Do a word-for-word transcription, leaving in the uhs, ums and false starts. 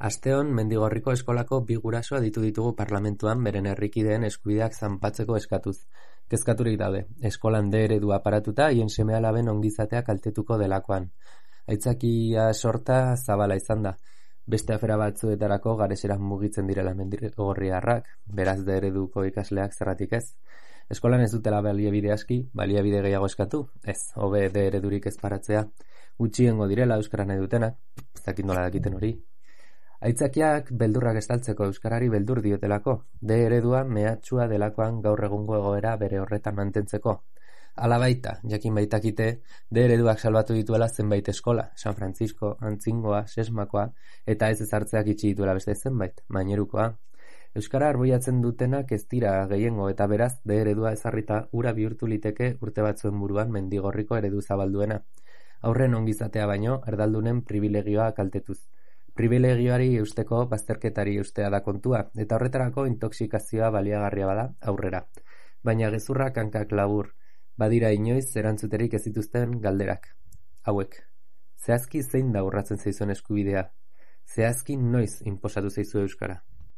Asteon Mendigorriko eskolako bi guraso aditu ditugu parlamentuan beren herrikideen eskubideak zanpatzeko eskatuz. Kezkaturik daude, eskolan D eredua aparatuta haien seme-alaben ongizatea kaltetuko delakoan. Aitzakia sorta zabala izan da. Beste afera batzuetarako garesera mugitzen direla mendigorriarrak, beraz D ereduko ikasleak zerratik ez. Eskolan ez dutela baliabide aski, baliabide gehiago eskatu, ez, hobe D eredurik ez paratzea, gutxiengo direla euskara nahi dutenak, ez dakit nola dakiten hori. Aitzakiak beldurrak estaltzeko euskarari beldur diotelako, D eredua mehatxua delakoan gaur egungo egoera bere horretan mantentzeko. Hala baita, jakin baitakite, D ereduak salbatu dituela zenbait eskola, San Francisco, Antzingoa, Sesmakoa, eta ez ezartzeak itxi dituela beste zenbait, Mainerukoa. Euskara arboiatzen dutenak ez dira gehiengo eta beraz D eredua ezarrita ura bihurtu liteke urte batzuen buruan Mendigorriko eredu zabalduena. Aurren ongizatea baino, erdaldunen privilegioa kaltetuz. Privilegioari eusteko bazterketari eustea da kontua, eta horretarako intoxikazioa baliagarria bada aurrera. Baina gezurrak hankak labur, badira inoiz erantzuterik ez dituzten galderak. Hauek, zehazki zein da urratzen zaizuen eskubidea? Zehazki noiz inposatu zaizu euskara?